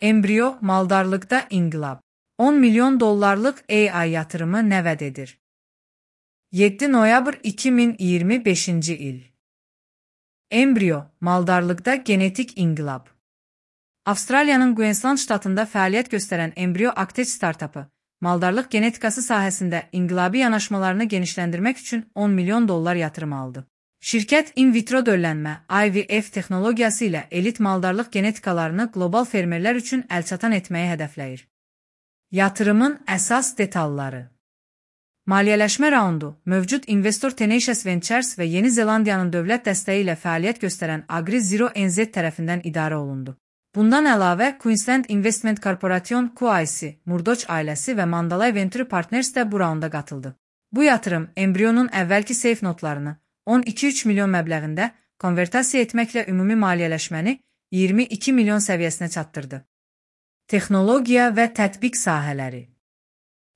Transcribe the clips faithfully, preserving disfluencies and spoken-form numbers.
Embriyo maldarlıqda inqilab. on milyon dollarlıq A I yatırımı nə vəd edir? yeddi noyabr iki min iyirmi beşinci il. Embriyo maldarlıqda genetik inqilab. Avstraliyanın Queensland ştatında fəaliyyət göstərən Embriyo Actech startapı, maldarlıq genetikası sahəsində inqilabi yanaşmalarını genişləndirmək üçün on milyon dollar yatırım aldı. Şirkət in vitro döllənmə I V F texnologiyası ilə elit maldarlıq genetikalarını qlobal fermerlər üçün əlçatan etməyi hədəfləyir. Yatırımın əsas detalları. Maliyyələşmə raundu, mövcud investor Tenacious Ventures və Yeni Zelandiyanın dövlət dəstəyi ilə fəaliyyət göstərən Agri Zero N Z tərəfindən idarə olundu. Bundan əlavə, Queensland Investment Corporation Q I C, Murdoch ailəsi və Mandalay Venture Partners də bu raunda qatıldı. Bu yatırım embriyonun əvvəlki safe notlarını on iki üç milyon məbləğində konvertasiya etməklə ümumi maliyyələşməni iyirmi iki milyon səviyyəsinə çatdırdı. Texnologiya və tətbiq sahələri.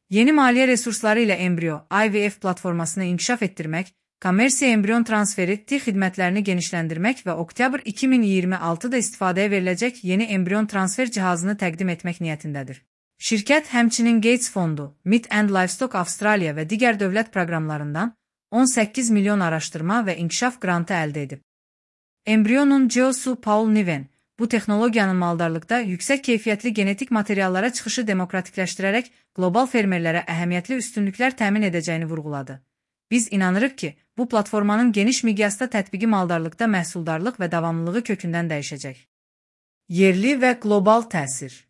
Yeni maliyyə resursları ilə embriyo I V F platformasını inkişaf etdirmək, kommersiya embriyon transferi T xidmətlərini genişləndirmək və oktyabr iki min iyirmi altıda istifadəyə veriləcək yeni embriyon transfer cihazını təqdim etmək niyyətindədir. Şirkət həmçinin Gates Fondu, Meat and Livestock Australia və digər dövlət proqramlarından on səkkiz milyon araşdırma və inkişaf qrantı əldə edib. Embriyonun C E O-su Paul Niven, bu texnologiyanın maldarlıqda yüksək keyfiyyətli genetik materiallara çıxışı demokratikləşdirərək qlobal fermerlərə əhəmiyyətli üstünlüklər təmin edəcəyini vurğuladı. Biz inanırıq ki, bu platformanın geniş miqyasda tətbiqi maldarlıqda məhsuldarlıq və davamlılığı kökündən dəyişəcək. Yerli və qlobal təsir.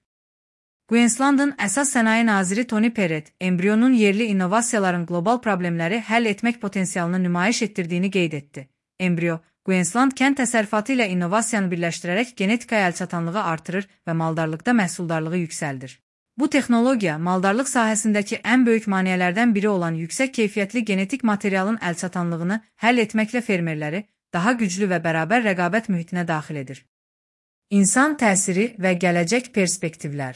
Queenslandın əsas sənaye naziri Tony Perrett, embriyonun yerli innovasiyaların qlobal problemləri həll etmək potensialını nümayiş etdirdiyini qeyd etdi. Embriyo, Queensland kənd təsərrüfatı ilə innovasiyanı birləşdirərək genetikaya əlçatanlığı artırır və maldarlıqda məhsuldarlığı yüksəldir. Bu texnologiya, maldarlıq sahəsindəki ən böyük maneələrdən biri olan yüksək keyfiyyətli genetik materialın əlçatanlığını həll etməklə fermerləri daha güclü və bərabər rəqabət mühitinə daxil edir. İnsan təsiri və gələcək perspektivlər.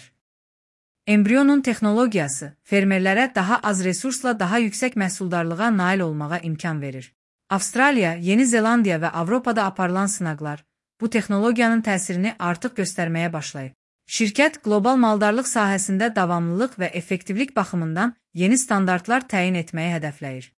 Embriyonun texnologiyası fermerlərə daha az resursla daha yüksək məhsuldarlığa nail olmağa imkan verir. Avstraliya, Yeni Zelandiya və Avropada aparılan sınaqlar bu texnologiyanın təsirini artıq göstərməyə başlayıb. Şirkət qlobal maldarlıq sahəsində davamlılıq və effektivlik baxımından yeni standartlar təyin etməyi hədəfləyir.